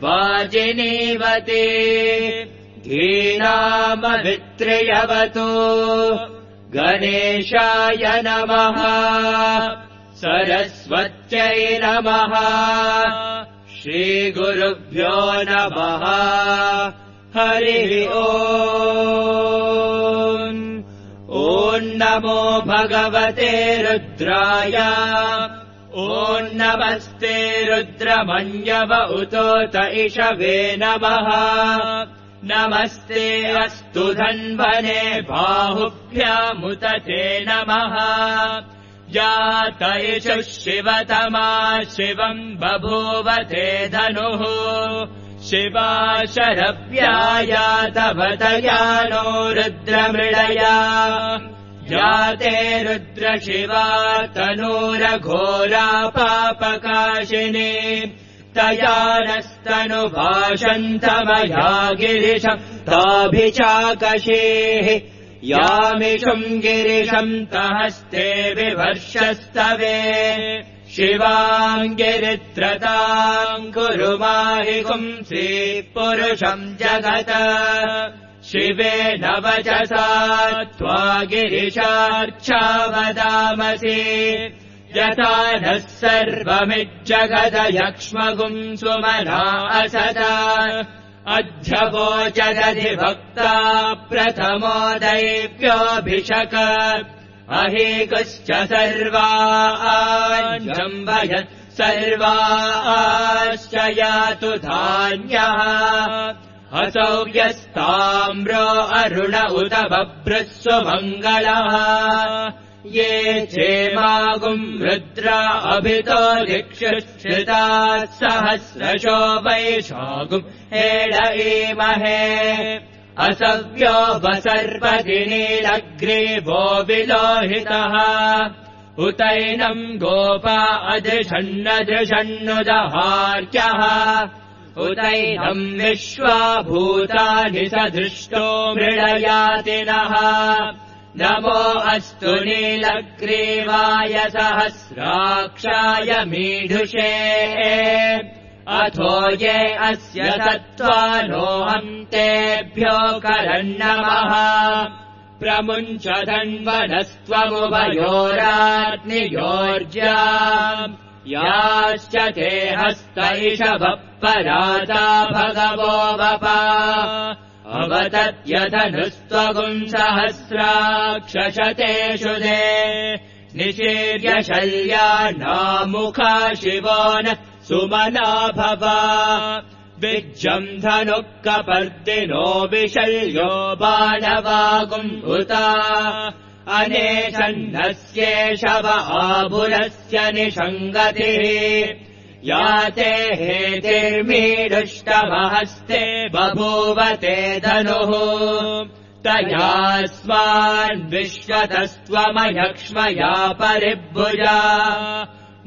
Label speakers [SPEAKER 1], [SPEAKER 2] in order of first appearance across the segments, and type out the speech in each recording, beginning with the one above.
[SPEAKER 1] वाजिनीवते धीनामभित्र्यवतो गणेशाय नमः सरस्वत्यै नमः श्रीगुरुभ्यो नमः हरिः ओम् ॐ नमो भगवते रुद्राय ॐ नमस्ते रुद्रमन्यव उतोत इषवे नमः नमस्ते अस्तु धन्वने बाहुभ्यामुत ते नमः जात इषुः शिवतमा शिवम् बभूव ते धनुः शिवा शरव्यायातवतया नो रुद्रमृळया जाते रुद्रशिवा तनूरघोरा पापकाशिनी तया नस्तनुभाषन्तमया गिरिशम् ताभिचाकशेः यामिषुम् गिरिशम् तहस्ते विवर्षस्तवे शिवाम् गिरित्रताम् कुरु माहिगुम् श्रीपुरुषम् जगत शिवेन वचसा त्वा गिरिशार्चा वदामसि यथा नः सर्वमिज्जगदयक्ष्मगुम् सुमना असदा अध्यवोचदधिभक्ता प्रथमो दैव्योऽभिषक अहेकुश्च सर्वाञ्जम्भय सर्वाश्च यातु धान्यः असौ यस्ताम्रो अरुण उत बभ्रस्व मङ्गलः ये चेमागुम् रुद्रा अभितो दिक्षुश्रिताः सहस्रशो वैशागुम् हेडयेमहे असव्यो वसर्वदिनीलग्रीवो विलोहितः उतैनम् गोपा अदृशन्नदृशन्नुदहार्यः उतैनम् विश्वाभूतानि सदृष्टो मृळयातिनः नमो अस्तु नीलग्रीवाय सहस्राक्षाय मीढुषे अथो ये अस्य सत्त्वानोऽहम् तेभ्यो करन्नमः प्रमुञ्च धन्वनस्त्वमुभयोराग्नियोर्जा याश्च ते हस्त इषवः पराता भगवो वपा अवतत्यधनुस्त्वगुम् सहस्राक्षशतेषु दे निशीर्य शल्यानामुखा शिवो न सुमना भवा विज्जम् धनुः कपर्दिनो विशल्यो बाणवागुम् उता अनेशन्नस्येषव आभुरस्य निषङ्गतिः याते हेतिर्मीडुष्टमहस्ते बभूव ते धनुः तयास्मान्विश्वतस्त्वमयक्ष्मया परिभुजा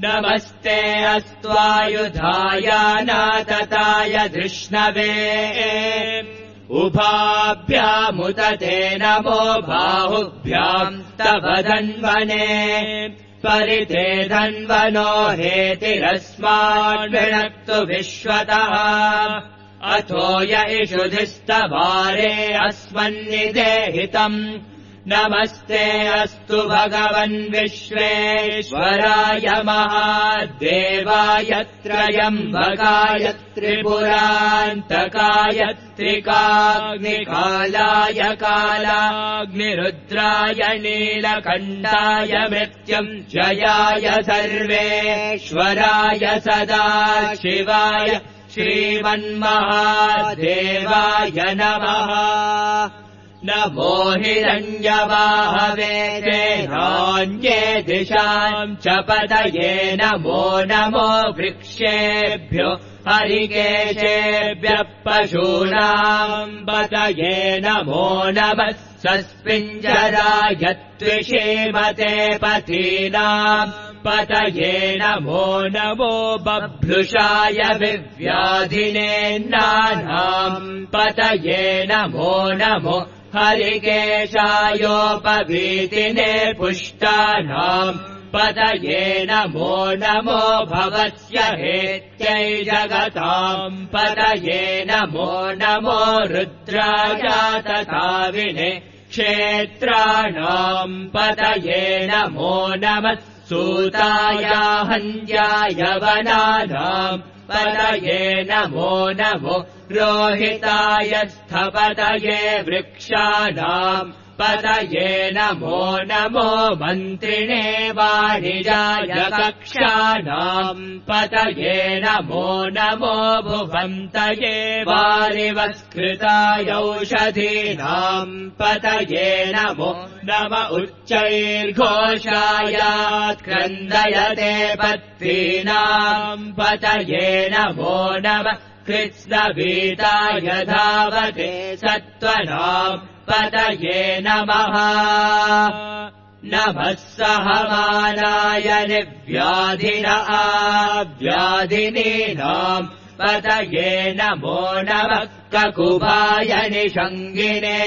[SPEAKER 1] नमस्ते अस्त्वायुधाय नातताय धृष्णवे उभाभ्यामुत ते नमो बाहुभ्याम् तव धन्वने परिते धन्वनो हेतिरस्मान्विणक्तु विश्वतः अथो य इषुधिस्तवारे अस्मन्निदेहितम् नमस्ते अस्तु भगवन् विश्वेश्वराय महादेवाय त्रयम्बकाय त्रिपुरान्तकाय त्रिकाग्निकालाय कालाग्निरुद्राय नीलकण्ठाय मृत्युञ्जयाय सर्वेश्वराय सदाशिवाय श्रीमन्महादेवाय नमः नमो हिरण्यवाहवे देहान्ये दिशाम् च पतये नमो नमो वृक्षेभ्यो हरिकेशेभ्यः पशूनाम् पतये नमो नमः सस्पिञ्जराय त्विषीमते पथीनाम् पतये नमो नमो बभ्रुषाय विव्याधिनेन्नानाम् पतये नमो नमो हरिकेशायोपवीतिने पुष्टानाम् पतये नमो नमो भवस्य हेत्यै जगताम् पतये नमो नमो रुद्राय तथा विने क्षेत्राणाम् पतये नमो नमः सूताय हन्याय वनानाम् पतये नमो नमो रोहिताय स्थपतये वृक्षाणाम् पतये नमो नमो मन्त्रिणे वाणिजाय कक्षाणाम् पतये नमो नमो भुवन्तये वारिवस्कृताय औषधीनाम् पतये नमो नम उच्चैर्घोषायात् क्रन्दयते पत्नीनाम् पतये नमो नमः कृत्स्नवीताय धावते सत्त्वनाम् पतये नमः नमः सहमानाय निर्व्याधिन आव्याधिनीनाम् पतये नमो नमः ककुभाय निषङ्गिने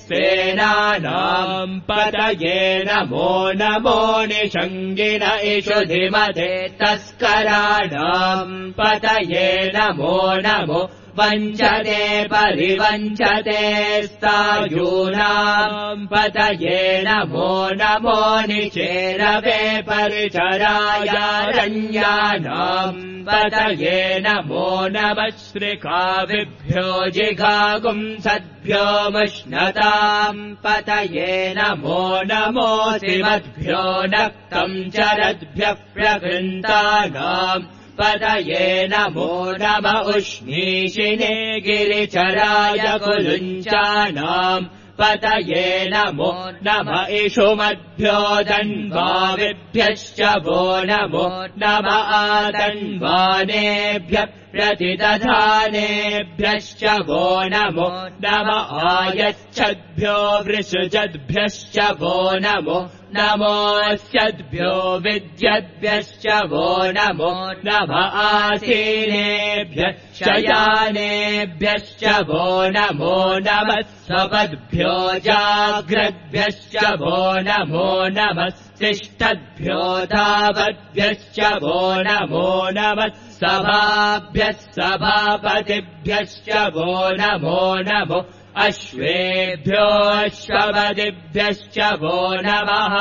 [SPEAKER 1] सेनानाम् पतये नमो नमो निषङ्गिन इषुधिमते तस्कराणाम् पतये नमो नमो वञ्चते परिवञ्चते स्थायूनाम् पतये नमो नमो निचेरवे परिचरायारण्यानाम् पतये नमो नमः श्रिकाविभ्यो जिघागुंसद्भ्यो मुष्णताम् पतये नमो नमो शिवद्भ्यो नक्तम् चरद्भ्यः प्रकृन्तानाम् पतये नमो नम उष्णीषिणे गिरिचराय कुलुञ्चानाम् पतये नमो नम इषुमद्भ्यो दन्वाविभ्यश्च वो नमो नम आदन्वानेभ्यः प्रतिदधानेभ्यश्च वो नमो नम आयच्छद्भ्यो वृषजद्भ्यश्च वो नमो नमोऽस्यद्भ्यो विद्यद्भ्यश्च वो नमो नम आसीनेभ्यः शयानेभ्यश्च वो नमो नमः सपद्भ्यो जाग्रद्भ्यश्च वो नमो नमः तिष्ठद्भ्यो धावद्भ्यश्च वो नमो नमः सभाभ्यः सभापतिभ्यश्च वो नमो नमो अश्वेभ्यो अश्वपतिभ्यश्च वो नमः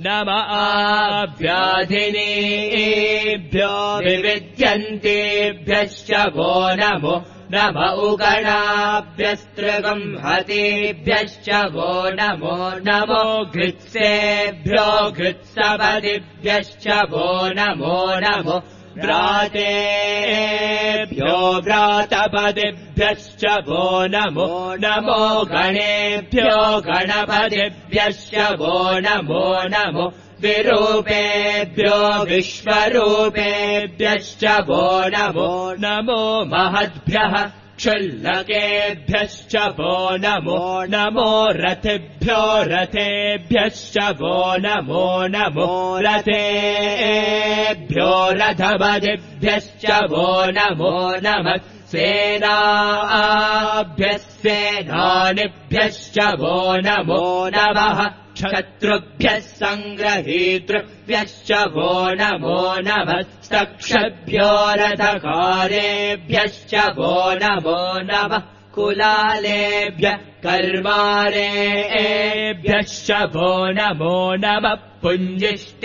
[SPEAKER 1] नम आव्याधिनीभ्यो विविद्यन्तेभ्यश्च वो नमो नम उगणाभ्यस्त्रिगंहतेभ्यश्च वो नमो नमो घृत्सेभ्यो घृत्सपतिभ्यश्च वो नमो नमो व्रातेभ्यो व्रातपतिभ्यश्च वो नमो नमो गणेभ्यो गणपतिभ्यश्च वो नमो नमो विरूपेभ्यो विश्वरूपेभ्यश्च वो नमो नमो महद्भ्यः क्षुल्लकेभ्यश्च वो नमो नमो रथेभ्यो रथेभ्यश्च वो नमो नमो रथेभ्यो रथपतिभ्यश्च वो नमो नमः सेनाभ्यः सेनानिभ्यश्च वो नमो नमः क्षत्रुभ्यः सङ्ग्रहीतृभ्यश्च वो नमो नमः सक्षभ्यो रथकारेभ्यश्च वो नमो नमः कुलालेभ्यः कर्मारेभ्यश्च वो नमो नमः पुञ्जिष्टेभ्यो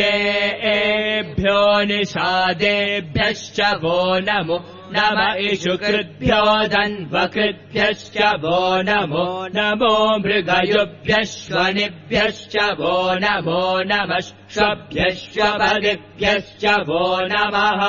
[SPEAKER 1] निषादेभ्यश्च वो नमो नम इषुकृद्भ्यो धन्वकृद्भ्यश्च वो नमो नमो मृगयुभ्यश्वनिभ्यश्च वो नमो नमः श्वभ्यश्वपतिभ्यश्च वो नमः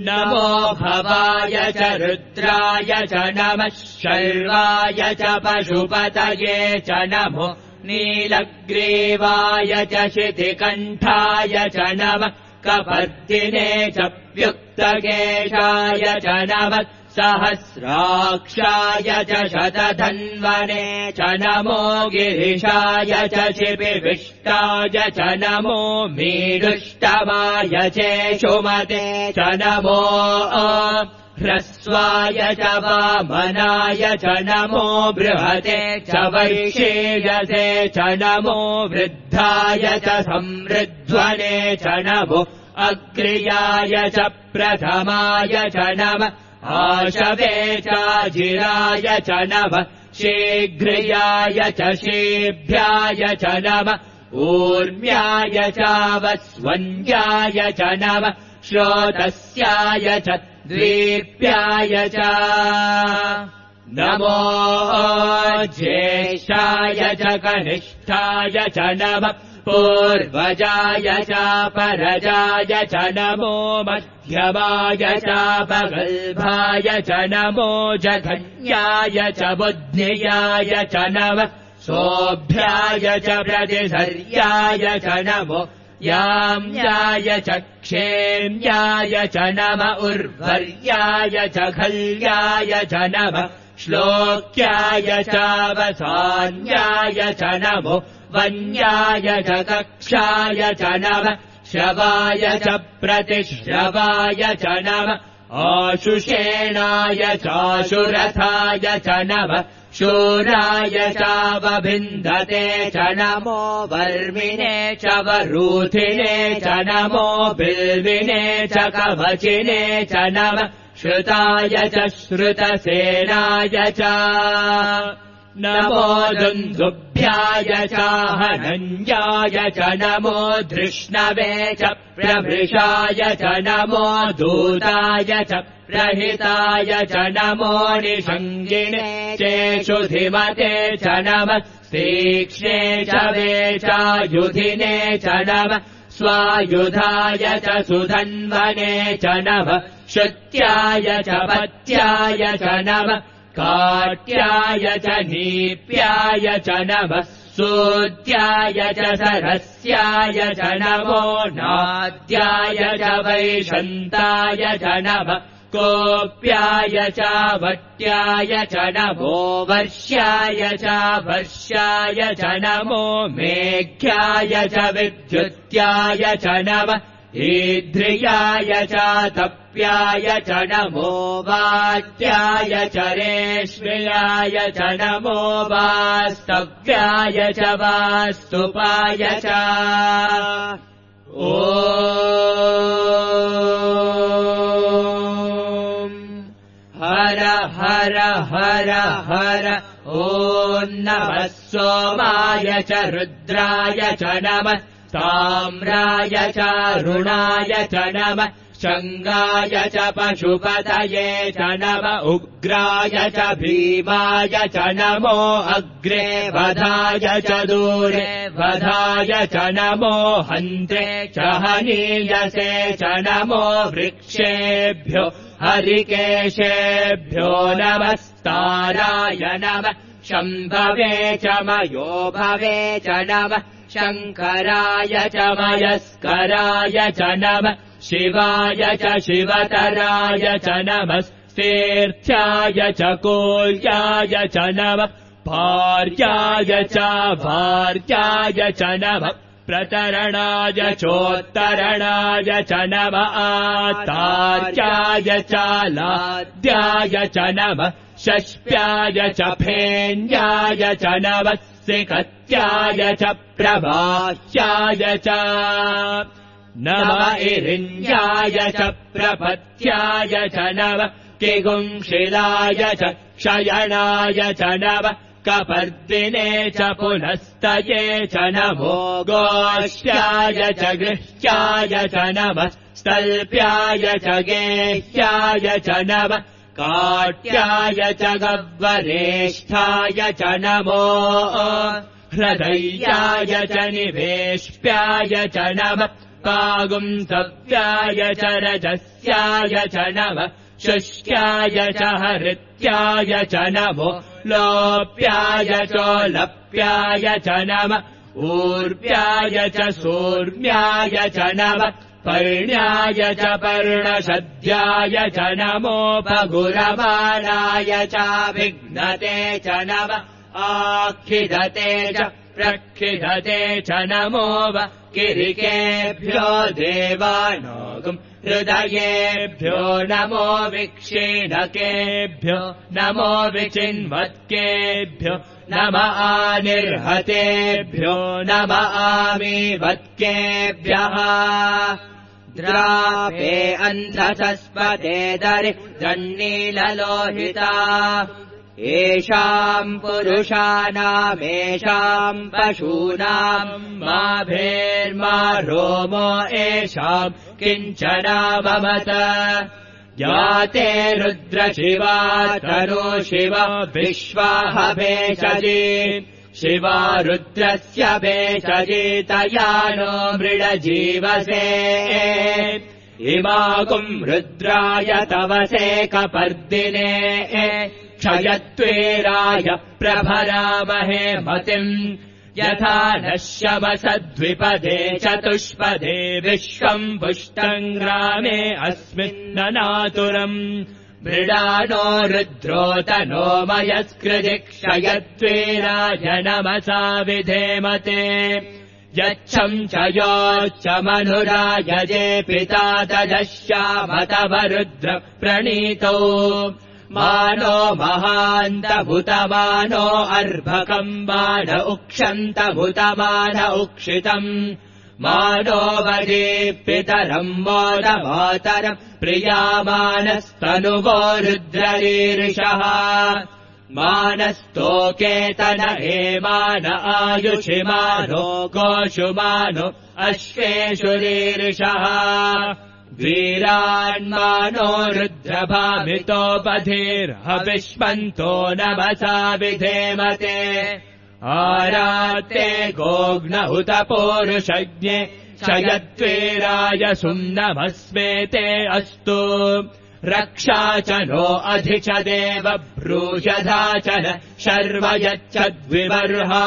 [SPEAKER 1] नमो भवाय च रुद्राय च नमः शर्वाय च पशुपतये च नमो नीलग्रीवाय च शितिकण्ठाय च नमः कपर्दिने च व्युक्तकेशाय च नमः सहस्राक्षाय च शतधन्वने च नमो गिरिशाय च शिपिविष्टाय च नमो मीडुष्टमाय चेषुमते च नमो ह्रस्वाय च वामनाय च नमो बृहते च वैशेयसे च नमो वृद्धाय च संवृध्वने च नमो अग्र्याय च प्रथमाय च नमः आशवे चाजिराय च नमः शीघ्र्याय च शीभ्याय च नमः ऊर्म्याय चावस्वन्याय च नमः श्रोतस्याय च द्वीप्याय च नमो ज्येष्ठाय च कनिष्ठाय च नमः पूर्वजाय चापरजाय च नमो मध्यमाय चापगल्भाय च नमो जघन्याय च बुद्ध्याय च नमः सोऽभ्याय च प्रतिधर्याय च नमो याम्याय च क्षेम्याय च नम उर्वर्याय च खल्याय च नमः श्लोक्याय चावसान्याय च नमो वन्याय च कक्षाय च नमः श्रवाय च प्रतिश्रवाय च नमः आशुषेणाय चाशुरथाय च नमः शूराय चावभिन्दते च नमो वर्मिणे च वरूथिने च नमो बिल्विने च कवचिने च नमः श्रुताय च श्रुतसेनाय च नमो दुन्दुभ्याय चाहनन्याय च नमो धृष्णवे च प्रभृशाय च नमो दूताय च प्रहिताय च नमो निषङ्गिणे चेषुधिमते च नमः तीक्ष्णे च वेचायुधिने च नमः स्वायुधाय च सुधन्वने च नमः श्रुत्याय च पत्याय च नमः काट्याय च नीप्याय च नमः सूत्याय च सरस्याय च नमो नाद्याय च वैशन्ताय च नमः कोप्याय च वट्याय च नमो वर्ष्याय च वर्ष्याय च नमो मेघ्याय च विद्युत्याय च नमः ईध्रियाय च तप्याय च नमो वात्याय च रेश्म्याय च नमो वास्तव्याय च वास्तुपाय च ॐ हर हर हर हर ॐ नमः सोमाय च रुद्राय च नमः ताम्राय च रुणाय च नमः शङ्गाय च पशुपतये च नमः उग्राय च भीमाय च नमो अग्रे वधाय च दूरे वधाय च नमो हन्त्रे च हनीयसे च नमो वृक्षेभ्यो हरिकेशेभ्यो नमस्ताराय नमः शम्भवे च मयो भवे च नमः शङ्कराय च मयस्कराय च नमः शिवाय च शिवतराय च नमः तीर्थ्याय च कोल्याय च नमः भार्याय च भार्याय च नमः प्रतरणाय चोत्तरणाय च नमः आतार्याय च लाद्याय च नमः षष्प्याय च फेन्याय च नमः सिकत्याय च प्रभाष्याय च नमः इरिञ्जाय च प्रपत्याय च नमः किगुंशिलाय च क्षयणाय च नमः कपर्दिने च पुनस्तये च नमो गोष्ठ्याय च गृह्याय च नमः स्तल्प्याय च गेह्याय च नमः काट्याय च गह्वरेष्ठाय च नमो हृदयाय च निवेश्प्याय च नमः पागुंसव्याय च रजस्याय च नमः शुष्क्याय च हृत्याय च नमो लोप्याय चोलप्याय च नमः ऊर्व्याय च सूर्म्याय च नमः पर्ण्याय च पर्णशद्याय च नमो पगुरमाणाय च विघ्नते च नमः आखिदते च प्रक्षिधते च नमो किरिकेभ्यो देवानागम् हृदयेभ्यो नमो विक्षीणकेभ्यो नमो विचिन्वत्केभ्यो नम आनिर्हतेभ्यो नम आमीवत्केभ्यः द्रापे अन्धसस्पते दरिद्रन्नीललोहिता येषाम् पुरुषाणामेषाम् पशूनाम् मा भेर्मा रोमो येषाम् किञ्चनाममत याते रुद्रशिवा तनो शिव विश्वाह भेषजी शिवा रुद्रस्य भेषजी तया नो मृडजीवसे इमागुम् रुद्राय तवसे कपर्दिने क्षयत्वेराय प्रभरामहे मतिम् यथा नश्यवसद्विपदे चतुष्पदे विश्वम् पुष्टम् ग्रामे अस्मिन्ननातुरम् मृडानो रुद्रोतनो मयस्कृति क्षयत्वेराय नमसा विधेमते यच्छम् च योच्च मनुरायजे पिता तजश्यामतवरुद्र प्रणीतौ मानो महान्तभूतमानो अर्भकम् मान उक्षन्तभूतमान उक्षितम् मानो वदीपितरम् मोदमातरम् प्रियामानस्तनुवो रुद्ररीर्षः मानस्तोकेतन हेमान आयुषिमानो गोषुमानो अश्वेषुरीर्षः वीरान्मानो रुद्रभामितोपधीर्हविष्मन्तो नमसा विधेमते आराते गोघ्नहुत पौरुषज्ञे क्षयत्वेराय सुम्नमस्मेते अस्तु रक्षा च नो अधि च देव ब्रूषधा च न शर्व यच्छद्विवर्हाः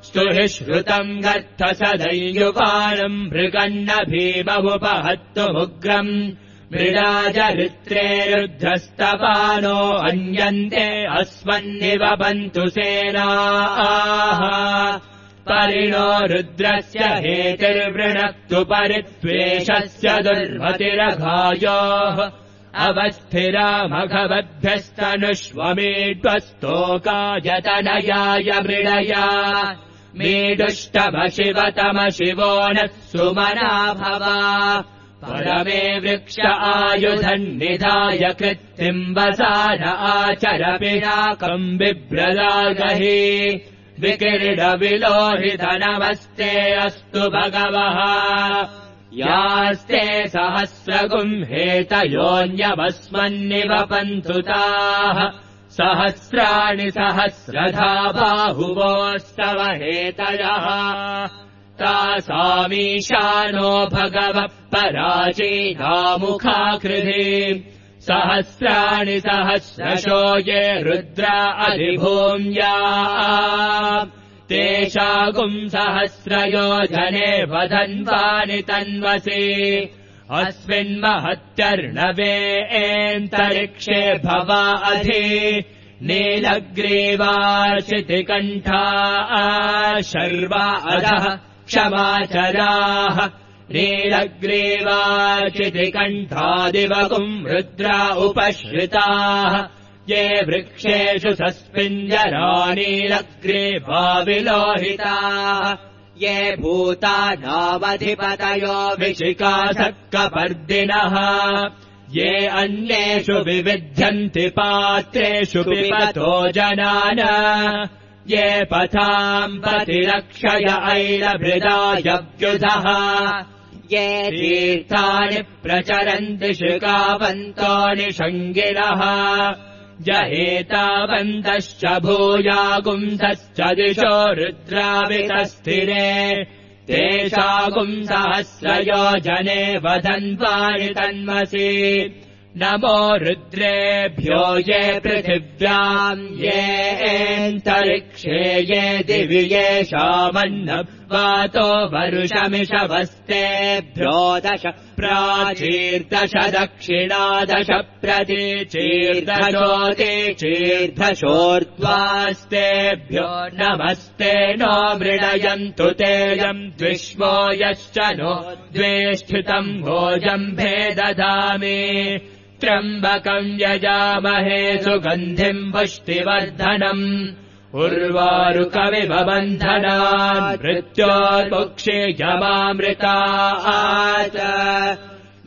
[SPEAKER 1] स्तुहि श्रुतम् गर्थ सदैयुवानम् मृगन्न भीममुपहत्तुमुग्रम् मृडाजरित्रे रुद्रस्तपानो अन्यन्ते अस्मन्निवपन्तु सेनाः परिणो रुद्रस्य हेतिर्वृणक्तु परित्वेषस्य दुर्मतिरघायोः अवस्थिरामघवद्भ्यस्तनुष्वमीड्वस्तोकायतनयाय मृडया मीडुष्टमशिवतमशिवो नः सुमना भवा परमे वृक्ष आयुधन्निधाय कृत्तिम्बसान आचरपिनाकम् बिभ्रदागहि विकिरीडविलोहितनमस्ते अस्तु भगवः यास्ते सहस्रगुम् हेतयोऽन्यवस्मन्निवपन्तु ताः सहस्राणि सहस्रधा बाहुवोस्तव हेतयः तासामीशानो भगवः पराचीनामुखाकृधि सहस्राणि सहस्रशो ये रुद्रा अधिभूम्या तेषागुम् सहस्रयोजने वदन्वानि तन्वसि अस्मिन्महत्यर्णवेऽन्तरिक्षे भवा अधि नीलग्रीवाचितिकण्ठा शर्वा अधः क्षमाचराः नीलग्रीवाचितिकण्ठादिवगुम् रुद्रा उपश्रिताः ये वृक्षेषु सस्मिञ्जरा नीलग्रीवाविलोहिताः ये भूतानामधिपतयो विशिकासक्कपर्दिनः ये अन्येषु विविध्यन्ति पात्रेषु पिबतो जनान ये पथाम् प्रतिरक्षय ऐलभृदायव्युधः ये तीर्थानि प्रचरन्ति शिखावन्तो निषङ्गिनः जहेतावन्तश्च भूयागुंसश्च दिशो रुद्रावितस्थिरे तेषागुम् सहस्रयोजने वदन्वानि तन्मसि नमो रुद्रेभ्यो ये पृथिव्याम् येऽन्तरिक्षे ये दिवि येषामन्नम् वातो वरुषमिषवस्तेभ्यो 10 प्राचीर्दश दक्षिणादश प्रतीचीर्दशोर्ध्वास्तेभ्यो नमस्ते नो मृडयन्तु तेजम् द्विष्वो यश्च नो द्वेष्ठितम् भोजम्भे ददामि त्र्यम्बकम् यजामहे सुगन्धिम् पुष्टिवर्धनम् उर्वारुकमिव बन्धनान् मृत्योर्मुक्षीयमामृतात्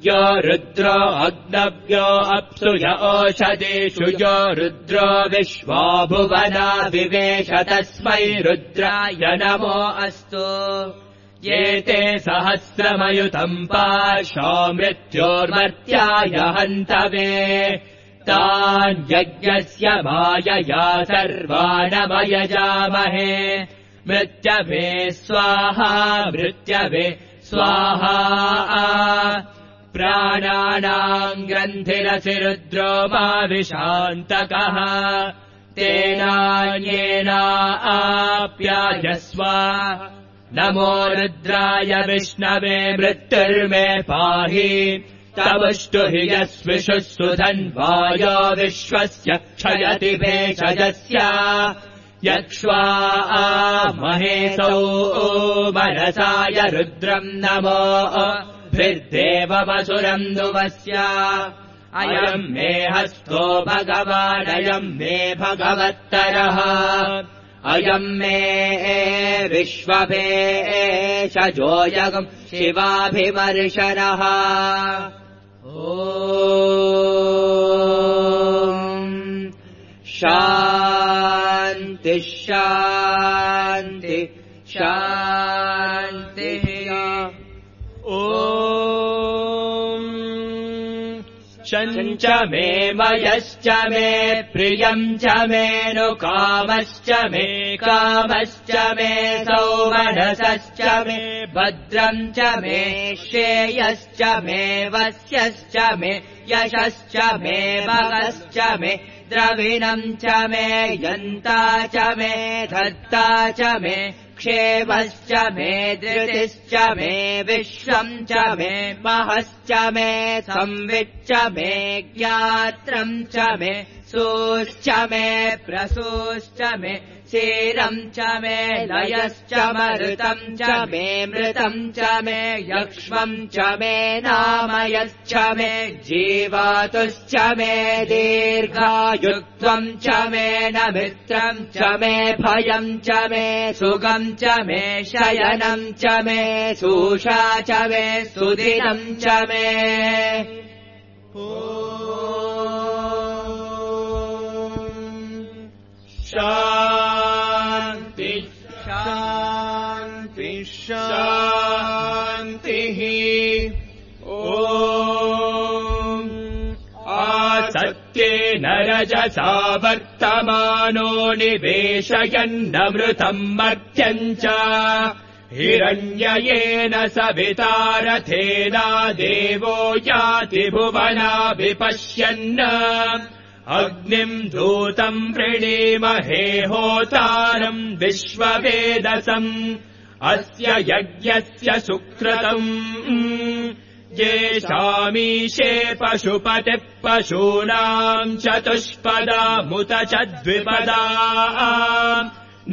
[SPEAKER 1] यो रुद्रो अग्नव्यो अप्सु य ओषधीषु यो रुद्रो विश्वा भुवना विवेश तस्मै रुद्राय नमो अस्तु ये ते सहस्रमयुतम् पाशो मृत्योर्मर्त्याय हन्तवे तान् यज्ञस्य मायया सर्वानमयजामहे मृत्यवे स्वाहा मृत्यवे स्वाहा प्राणानाम् ग्रन्थिरसि रुद्रो मा विशान्तकः तेनान्येना आप्यायस्व नमो रुद्राय विष्णवे मृत्युर्मे पाहि तवष्टु हि यस्विषुः सुधन्वायो विश्वस्य क्षयति भेषजस्य यक्ष्वा महेशौ मनसाय रुद्रम् नमो भिर्देवमसुरम् नुवस्य अयम् मे हस्तो भगवानयम् मे भगवत्तरः अयम् मे विश्वभेषजोऽयम् शिवाभिमर्शनः ॐ शान्ति शान्ति शान्तिः ॐ शञ्च मे मयश्च मे प्रियम् च मे नुकामश्च मे कामश्च मे सौमनसश्च मे भद्रम् च मे श्रेयश्च मे वस्यश्च मे यशश्च मे भगश्च मे द्रविणम् च मे यन्ता च मे धत्ता च मे क्षेमश्च मे धृतिश्च मे विश्वम् च मे महश्च मे संविच्च मे ज्ञात्रम् च मे सूश्च मे प्रसूश्च मे क्षीरम् च मे लयश्च मरुतम् च मे मृतम् च मे यक्ष्मम् च मे नामयश्च मे जीवातुश्च मे दीर्घायुत्वम् च मे नमित्रम् च मे भयम् च मे सुगम् च मे शयनम् च मे सूषा च मे सुदिनम् च मे शान्ति शान्ति शान्तिः ॐ आसत्येन रजसा वर्तमानो निवेशयन्नमृतम् मर्त्यम् च हिरण्ययेन सवितारथेना देवो याति भुवना विपश्यन् अग्निम् धूतम् वृणीमहे होतारम् विश्ववेदसम् अस्य यज्ञस्य सुकृतम् येषामीशे पशुपतिः पशूनाम् चतुष्पदामुत च द्विपदा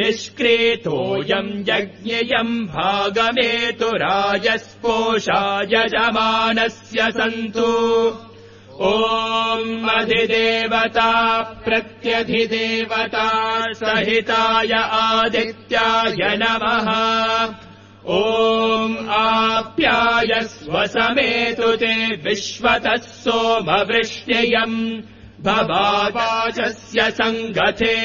[SPEAKER 1] निष्क्रीतोऽयम् यज्ञेयम् भागमेतु राजस्पोषा यजमानस्य सन्तु ॐ अधिदेवता प्रत्यधिदेवता सहिताय आदित्याय नमः ॐ आप्यायस्व समेतु ते विश्वतः सोमवृष्ट्ययम् भवावाचस्य सङ्गते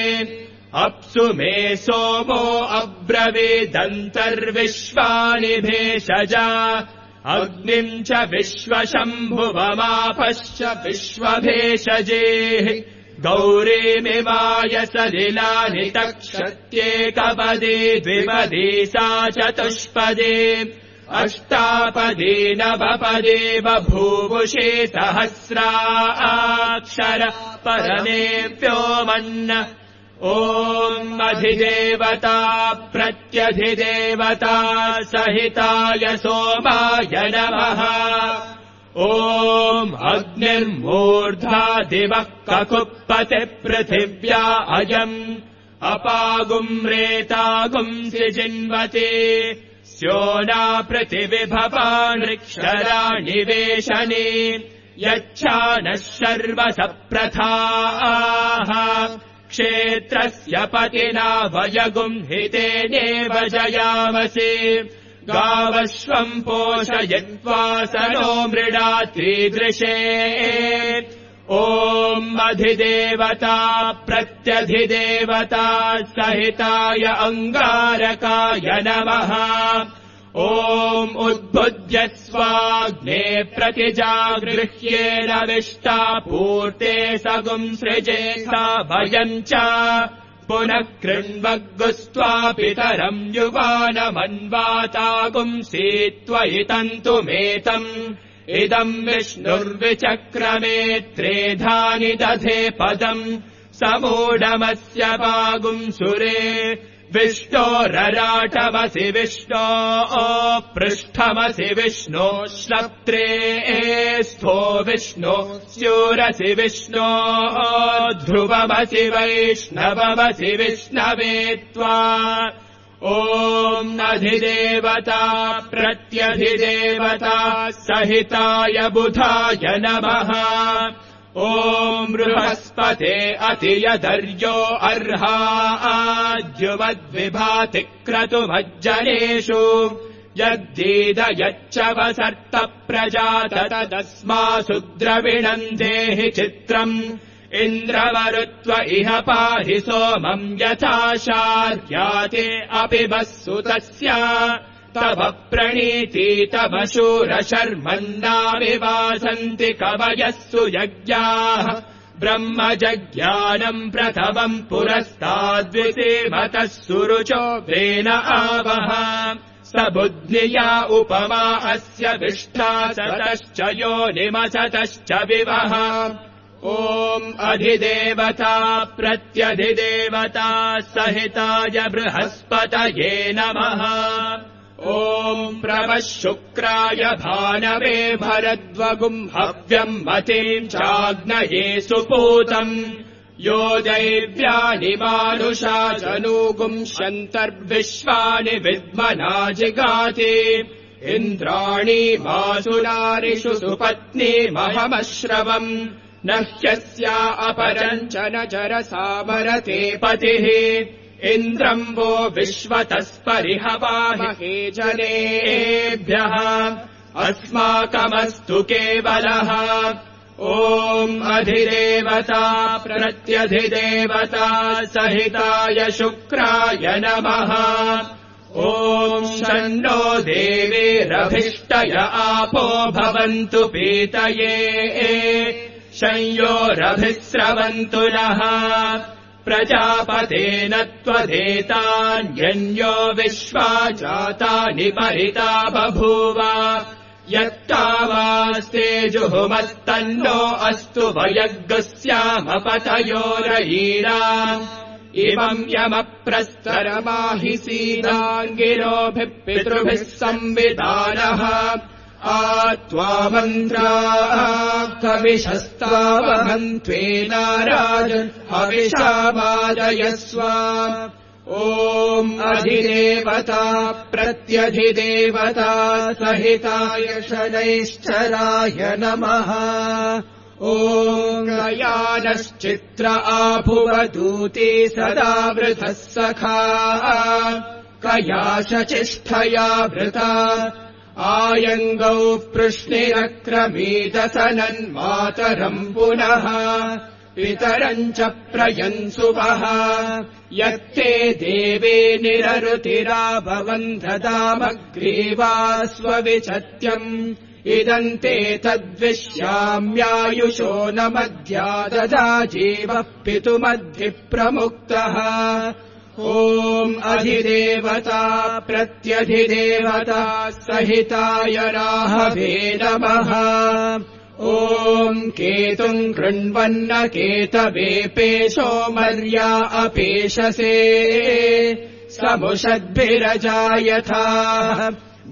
[SPEAKER 1] अप्सु मे सोमो अब्रवीदन्तर्विश्वानि भेषजा अग्निम् च विश्वशम्भुवमापश्च विश्वभेषजेः गौरीमिमाय सलिलानि तक्षत्येकपदे द्विपदी सा चतुष्पदे अष्टापदी नवपदे बभूवुषे सहस्राक्षर परमे व्योमन् ॐ अधिदेवता प्रत्यधिदेवता सहिताय सोमाय नमः। ॐ अग्निर्मूर्धा दिवः ककुप्पति पृथिव्या अयम् अपागुम् रेतागुम् सिजिन्वते स्योना पृथिविभवानृक्षराणि वेशने यच्छानः सर्वसप्रथाः क्षेत्रस्य पतिना वयगुम् हितेनेव जयामसि गावश्वम् पोषयित्वा सनो मृडात्रीदृशे। ॐ अधिदेवता प्रत्यधिदेवता सहिताय अङ्गारकाय नमः। ॐ उद्बुद्ध्य स्वाग्ने प्रतिजागृह्येन विष्टा पूर्ते सगुम् सृजेता भयम् च पुनः कृण्वग्गुस्त्वा पितरम् युवानमन्वातागुम् सीत्वयितन्तुमेतम् इदम् विष्णुर्विचक्रमे त्रेधानि दधे पदम् समूढमस्य पागुम् सुरे विष्णोरराटमसि विष्णो पृष्ठमसि विष्णो श्लप्त्रे स्थो विष्णो स्यूरसि विष्णो ध्रुवमसि वैष्णवमसि विष्णवे त्वा। ॐ अधिदेवता प्रत्यधिदेवता सहिताय बुधाय नमः। ॐ बृहस्पते अतियदर्यो अर्हाद्युवद्विभाति क्रतुमज्जनेषु यद्दीदयच्च वसर्त प्रजात तदस्मासु द्रविणम् देहि चित्रम् इन्द्रवरुत्व इह पाहि सोमम् यथा शार्याते अपि वस्सुतस्य तव प्रणीति तव शूरशर्मन्नाविवासन्ति कवयः सुयज्ञाः ब्रह्मजज्ञानम् प्रथमम् पुरस्ताद्विसेमतः सुरुचो वेन आवह स बुद्ध्या उपमा अस्य विष्ठा सतश्च योनिमसतश्च विवह। ॐ अधिदेवता प्रत्यधिदेवता सहिताय बृहस्पतये नमः। ॐ प्रवः शुक्राय भानवे भरद्वगुम् हव्यम् मतीम् चाग्नये सुपूतम् यो दैव्यानि मानुषा जनूगुम् शन्तर्विश्वानि विद्मना जिगाति इन्द्राणि मासुनारिषु सुपत्नीमहमश्रवम् न ह्यस्या अपरम् च न चरसामरते पतिः इन्द्रम् वो विश्वतस्परिहवामहे जनेभ्यः अस्माकमस्तु केवलः। ॐ अधिदेवता प्रत्यधिदेवता सहिताय शुक्राय नमः। ॐ शन्नो देवीरभिष्टय आपो भवन्तु पीतये शंयोरभिस्रवन्तु नः प्रजापतेन त्वदेतान्यन्यो विश्वा जातानि परिता बभूव यत्तावास्तेजुहुमत्तन्नो अस्तु वयग्गस्यामपतयोरयीरा इमम् यमप्रस्तरमाहि सीदाङ्गिरोभिः पितृभिः संविदानः त्वा मन्त्राः कविशस्तावहन्त्वेनाराजन् हविषावादयस्व। ॐ अधिदेवता प्रत्यधिदेवता सहिताय शनैश्चराय नमः। ॐ गयानश्चित्र आभुवदूती सदा वृथः सखा कयाशचिष्ठया वृता आयङ्गौ पृश्निरक्रमीदसनन्मातरम् पुनः पितरम् च प्रयन्सुवः यत्ते देवे निररुतिराभवन् ददामग्रीवा स्वविचत्यम् इदम् ते तद्विश्याम्यायुषो न मध्या ददा जीवः पितुमद्भिः प्रमुक्तः। ॐ अधिदेवता प्रत्यधिदेवता सहिताय राहवे नमः।
[SPEAKER 2] ॐ केतुम् कृण्वन्न केतवेपेशो मर्या अपेशसे समुषद्भिरजायथा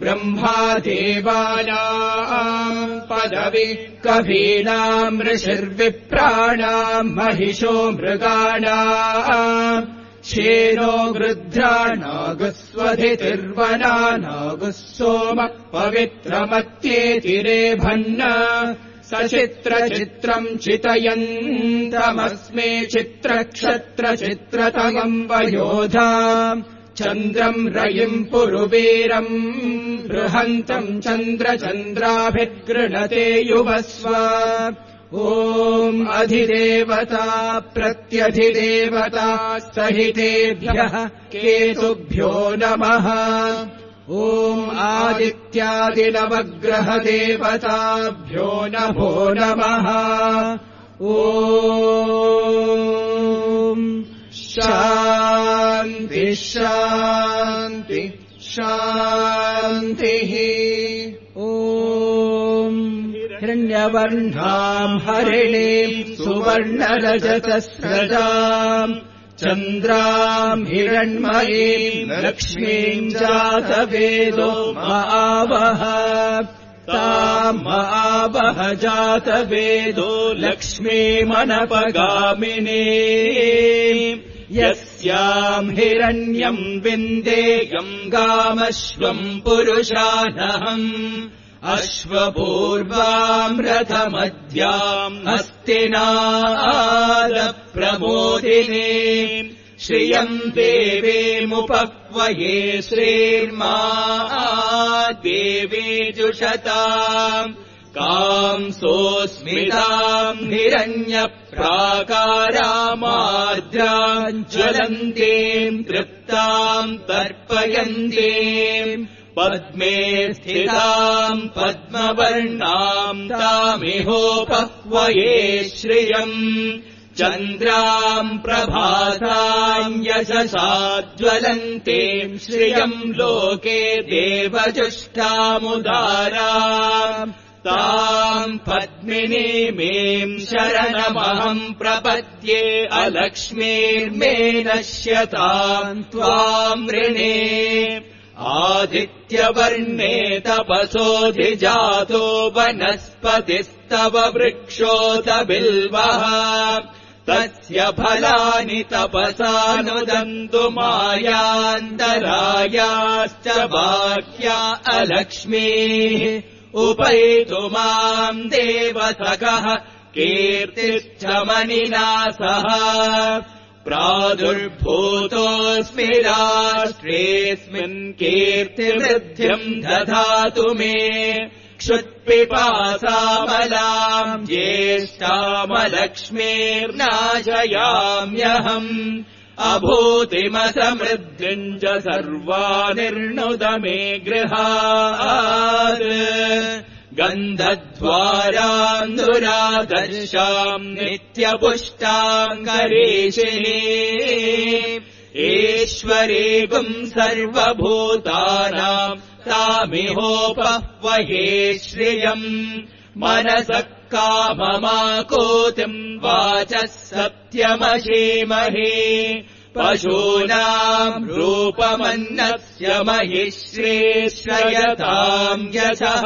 [SPEAKER 2] ब्रह्मा देवानाम् पदवि कवीनाम् ऋषिर्विप्राणाम् महिषो मृगाणाम् क्षेनो गृध्राणागुस्वधितिर्वना नागुः सोम पवित्रमत्येतिरेभन्न सचित्रचित्रम् चितयन्तमस्मे चित्रक्षत्रचित्रतमम् वयोधा चन्द्रम् रयिम् पुरुवीरम् बृहन्तम् चन्द्रचन्द्राभिर्गृणते युवस्व ॐ अधिदेवता प्रत्यधिदेवता सहितेभ्यः केतुभ्यो नमः ॐ आदित्यादिनवग्रहदेवताभ्यो नमो नमः ॐ शान्ति शान्ति शान्तिः ॐ हिरण्यवर्णाम् हरिणीम् सुवर्णरजतस्रजाम् चन्द्राम् हिरण्मयीम् लक्ष्मीम् जातवेदो महावः ताम् महावः जातवेदो लक्ष्मीमनपगामिने यस्याम् हिरण्यम् विन्देयम् गामश्वम् पुरुषानहम् अश्वपूर्वाम् रथमध्याम् हस्तिनादप्रमोदिने श्रियम् देवेमुपक्वये श्रीर्मा देवे जुषताम् कांसोऽस्मिताम् हिरण्यप्राकारामार्द्राम् ज्वलन्तीम् तृप्ताम् तर्पयन्तीम् पद्मे स्थिताम् पद्मवर्णाम् तामिहोपक्वये श्रियम् चन्द्राम् प्रभासाम् यशसा ज्वलन्तीम् श्रियम् लोके देवजुष्टामुदाराम् ताम् पद्मिनीमीम् शरणमहम् प्रपद्ये अलक्ष्मीर्मे नश्यताम् त्वाम् ऋणे आदित्यवर्णे तपसोऽधिजातो वनस्पतिस्तव वृक्षोऽथ बिल्वः तस्य फलानि तपसानुदन्तु मायान्तरायाश्च बाह्या अलक्ष्मीः उपैतु माम् देवसखः कीर्तिश्च मनिना सह प्रादुर्भूतोऽस्मि राष्ट्रेऽस्मिन् कीर्तिवृद्धिम् दधातु मे क्षुत्पिपासामलाम् ज्येष्ठामलक्ष्मीर्नाशयाम्यहम् अभूतिमसमृद्धिम् च सर्वानिर्णुद मे गृहात् गन्धद्वाराम् दुरादर्शाम् नित्यपुष्टाम् करेशिनी ईश्वरीगुम् सर्वभूतानाम् तामिहोपह्वये श्रियम् मनसः काममाकोतिम् वाचः सत्यमशीमहे पशूनाम् रूपमन्नस्य महिश्रेश्रयताम् यशः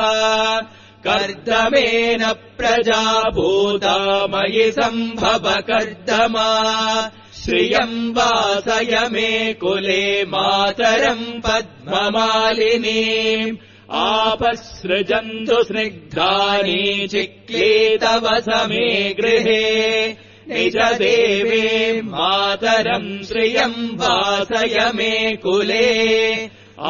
[SPEAKER 2] कर्दमेन प्रजाभूता मयि सम्भव कर्दमा श्रियम् वासय मे कुले मातरम् पद्ममालिनी आपसृजन्तु स्निग्धानि चिक्लीतव समे गृहे निजदेवे मातरम् श्रियम् वासय मे कुले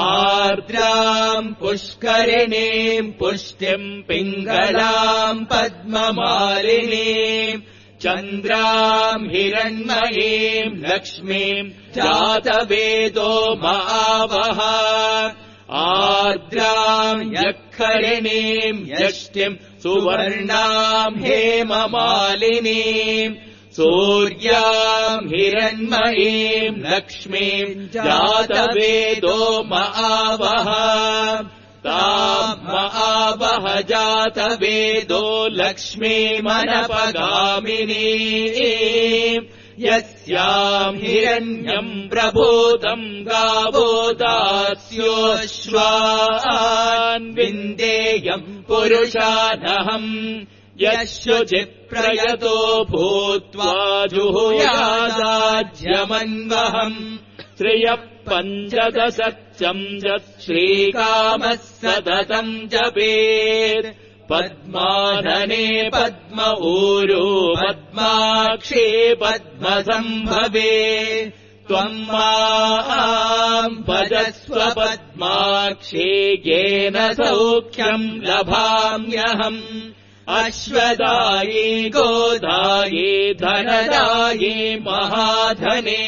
[SPEAKER 2] आर्द्राम् पुष्करिणीम् पुष्टिम् पिङ्गलाम् पद्ममालिनीम् चन्द्राम् हिरण्मयीम् लक्ष्मीम् जातवेदो महावः आर्द्राम् यःखरिणीम् यष्टिम् सुवर्णाम् हेममालिनीम् सूर्याम् हिरण्मयीम् लक्ष्मीम् जातवेदो महावः ताम आवह जातवेदो लक्ष्मीमनपगामिनी यस्याम् हिरण्यम् प्रबोधम् गावो दास्योऽश्वान् विन्देयम् पुरुषानहम् यशुचिप्रयतो भूत्वा जुहुयादाज्यमन्वहम् श्रियः पञ्चदशत्यम् श्रीकामः सततम् जपेत् पद्मानने पद्म ऊरो पद्माक्षे पद्मसम्भवे त्वम् माम् भजस्व पद्माक्षे येन सौख्यम् लभाम्यहम् अश्वदाये गोदाये धनदाये महाधने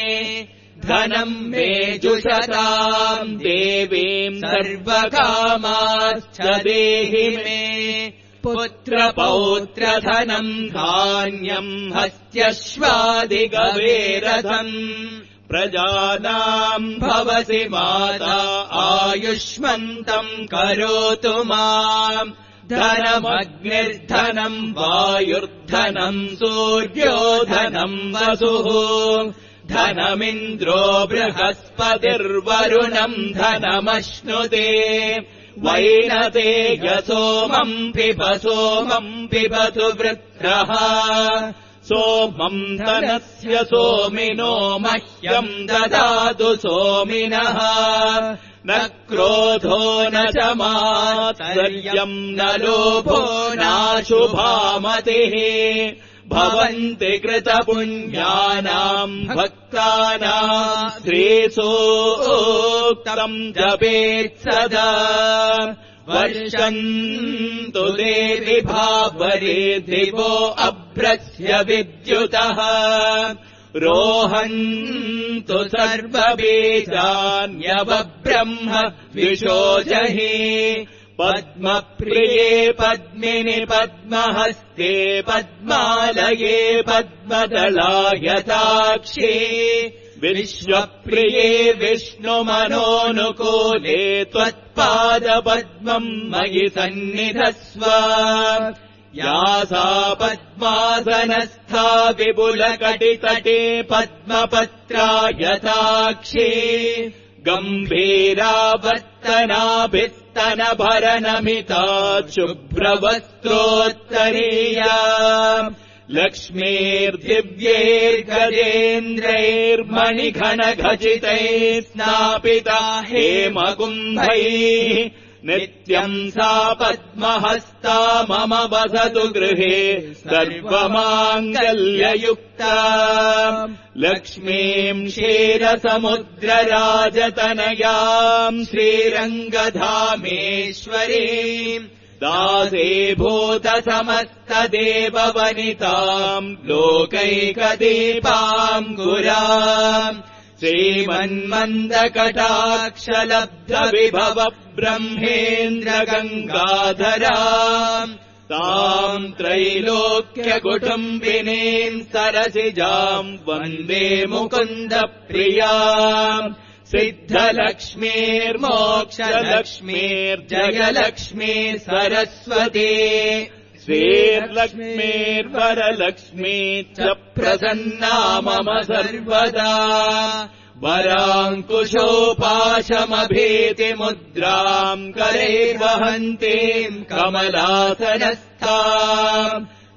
[SPEAKER 2] धनम् मे जुषताम् देवीम् सर्वकामाश्च देहि मे पुत्रपौत्रधनम् धान्यम् हस्त्यश्वादिगवेरथम् प्रजानाम् भवसि माता आयुष्मन्तम् करोतु माम् धनमग्निर्धनम् वायुर्धनम् सूर्यो धनम् वसुः धनमिन्द्रो बृहस्पतिर्वरुणम् धनमश्नुते वैनते सोमम् पिबतु वृत्रः सोमम् धनस्य सोमिनो मह्यम् ददातु सोमिनः न क्रोधो न च मात्सर्यम् न लोभो नाशुभामतिः भवन्ति कृतपुण्यानाम् भक्तानाम् श्रेयोक्तम् जपेत् सदा वर्षन्तु देवि भावरे दिवो अभ्रस्य विद्युतः रोहन्तु सर्वबीजान्यवब्रह्म विशोजहि पद्मप्रिये पद्मिनि पद्महस्ते पद्मालये पद्मदलायताक्षे विश्वप्रिये विष्णुमनोनुकूले त्वत्पादपद्मम् मयि सन्निधस्व या सा पद्मासनस्था विपुलकटितटे पद्मपत्रायताक्षे गम्भीरावर्तनाभिस्तनभरनमिता शुभ्रवस्त्रोत्तरीया लक्ष्मीर्दिव्यैर्गजेन्द्रैर्मणिघनखचितैः स्नापिता हेमकुम्भैः नित्यम् सा पद्महस्ता मम वसतु गृहे सर्वमाङ्गल्ययुक्ता लक्ष्मीम् क्षीरसमुद्रराजतनयाम् श्रीरङ्गधामेश्वरीम् दासेभूतसमस्तदेववनिताम् लोकैकदीपाम् गुराम् श्रीमन्मन्दकटाक्षलब्धविभव ब्रह्मेन्द्रगङ्गाधराम् ताम् त्रैलोक्यकुटुम्बिनीम् सरसिजाम् वन्दे मुकुन्दप्रियाम् सिद्धलक्ष्मीर्मोक्षलक्ष्मीर्जयलक्ष्मी सरस्वती श्रीर्लक्ष्मीर्वरलक्ष्मी च प्रसन्ना मम सर्वदा वराङ्कुशोपाशमभीतिमुद्राम् करैर्वहन्तीम् कमलासनस्थाम्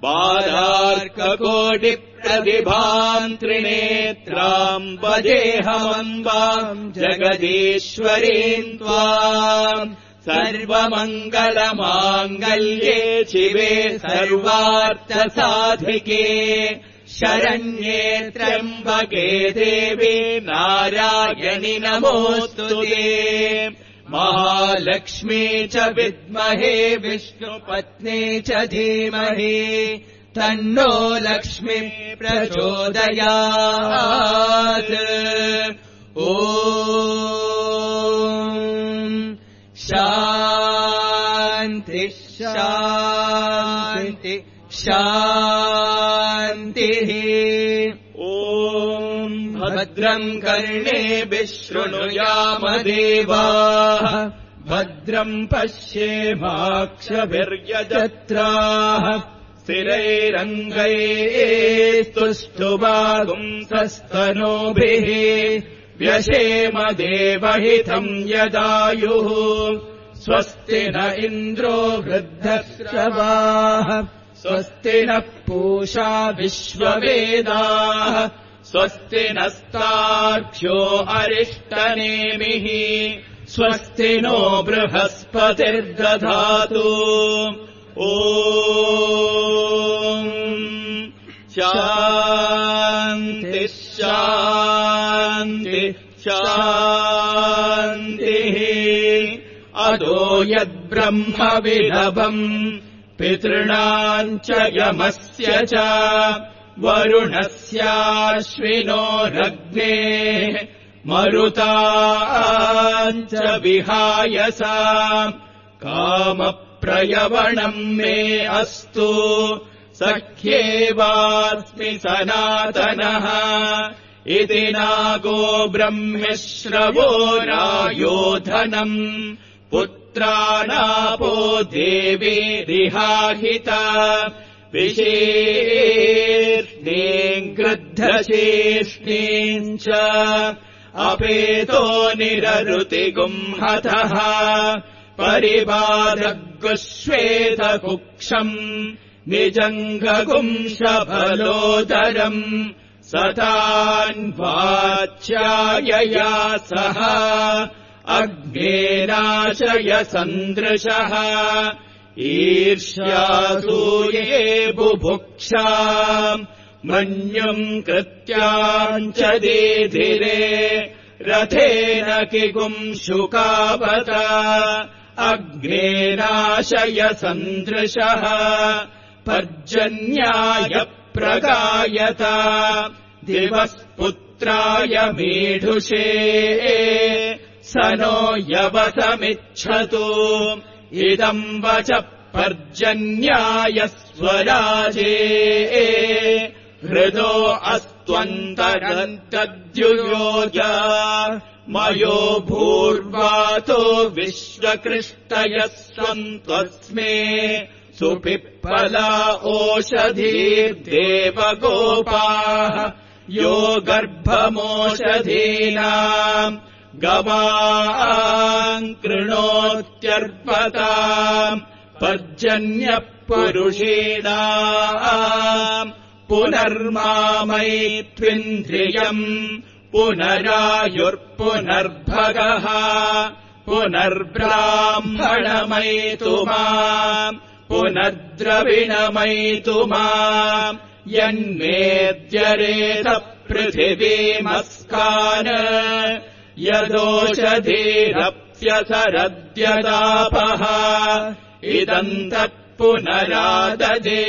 [SPEAKER 2] बालार्ककोटिप्रतिभाम् त्रिनेत्राम् भजेऽहमम्बाम् जगदीश्वरीम् त्वाम् सर्वमङ्गलमाङ्गल्ये शिवे सर्वार्थसाधिके शरण्ये त्र्यम्बके देवी नारायणि नमोऽस्तुते महालक्ष्मी च विद्महे विष्णुपत्नी च धीमहि तन्नो लक्ष्मी प्रचोदयात् ॐ शान्ति शान्ति शान्तिः ॐ भद्रम् कर्णे विशृणुयाम देवाः भद्रम् पश्येमाक्षभिर्यजत्राः स्थिरैरङ्गैस्तुष्टुवागुंसस्तनूभिः व्यशेम देवहितम् यदायुः स्वस्ति न इन्द्रो वृद्धश्रवाः स्वस्ति नः पूषा विश्ववेदाः स्वस्ति नस्तार्क्ष्यो अरिष्टनेमिः स्वस्ति नो बृहस्पतिर्दधातु ॐ शान्ति शान्ति शान्तिः अदो यद्ब्रह्मविलभम् पितॄणाम् च यमस्य च वरुणस्याश्विनोरग्नेः मरुताम् च विहायसा कामप्रयवणम् मे अस्तु सख्येवास्मि सनातनः इति नागो ब्रह्मश्रवो रायोधनम् पुत्रानापो देवीरिहाहिता विशेष्णीम् गृद्धशेष्णीम् च अपेतो निररुतिगुंहतः परिबाधगुश्वेतकुक्षम् निजङ्गगुंशफलोदरम् सतान्वाच्यायया सह अग्नेनाशय सन्दृशः ईर्ष्यासूये बुभुक्षा मन्युम् कृत्याम् च दीधिरे रथेन किगुंशुकावत अग्नेनाशय सन्दृशः पर्जन्याय प्रगायत दिवस्पुत्राय मीढुषे स नो यवसमिच्छतु इदम् वच पर्जन्याय स्वराजे हृदो अस्त्वन्तरन्तद्युयोज मयो भूर्वातो विश्वकृष्टयः सन्त्वस्मे सुपिप्पला ओषधीर्देवगोपाः यो गर्भमोषधीनाम् गवाम् कृणोत्यर्पताम् पर्जन्यः पुरुषेणाम् पुनर्मामैत्विन्द्रियम् पुनरायुर्पुनर्भगः पुनर्ब्राह्मणमयितु माम् पुनर्द्रविणमयितु माम् यन्मेद्यरेत पृथिवीमस्कान् यदोषधीरप्यसरद्यदापः इदम् तत्पुनराददे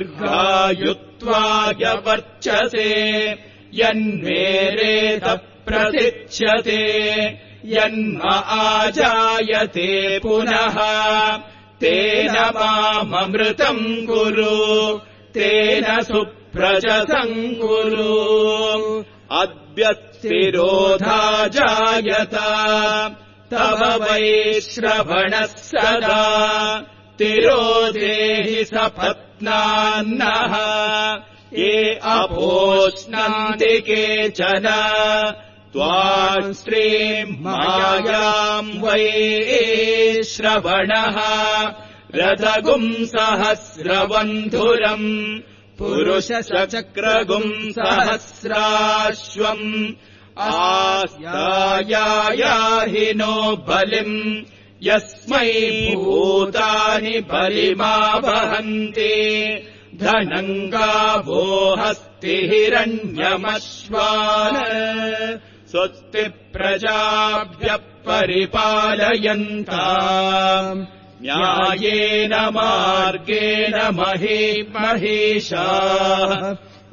[SPEAKER 2] दीर्घायुत्वाय वर्चसे यन्मेरेत प्रसिच्यते यन्म आजायते पुनः तेन माममृतम् कुरु तेन सुप्रजसम् कुरु अद्यस्तिरोधा जायत तव वैश्रवणः सदा तिरोधेहि सपत्नान्नः ये अपोष्णन्ति केचन त्वाम् श्रीमायाम् वैश्रवणः रथगुम् सहस्रवन्धुरम् पुरुषचक्रगुम् सहस्राश्वम् आस्तायायाहिनो बलिम् यस्मै भूतानि बलिमावहन्ति धनम् गावो हस्ति हिरण्यमश्वान् स्वस्ति प्रजाभ्यः परिपालयन्ताम् न्यायेन मार्गेण महीषाः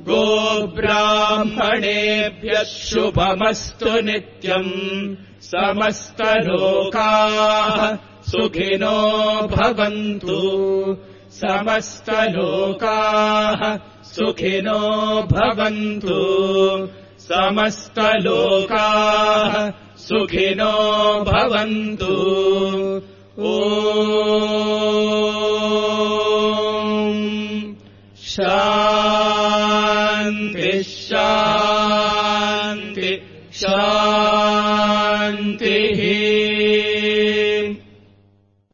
[SPEAKER 2] गोब्राह्मणेभ्यः शुभमस्तु नित्यम् समस्तलोकाः सुखिनो भवन्तु समस्तलोकाः सुखिनो भवन्तु समस्तलोकाः सुखिनो भवन्तु। ॐ शान्तिः शान्तिः शान्तिः।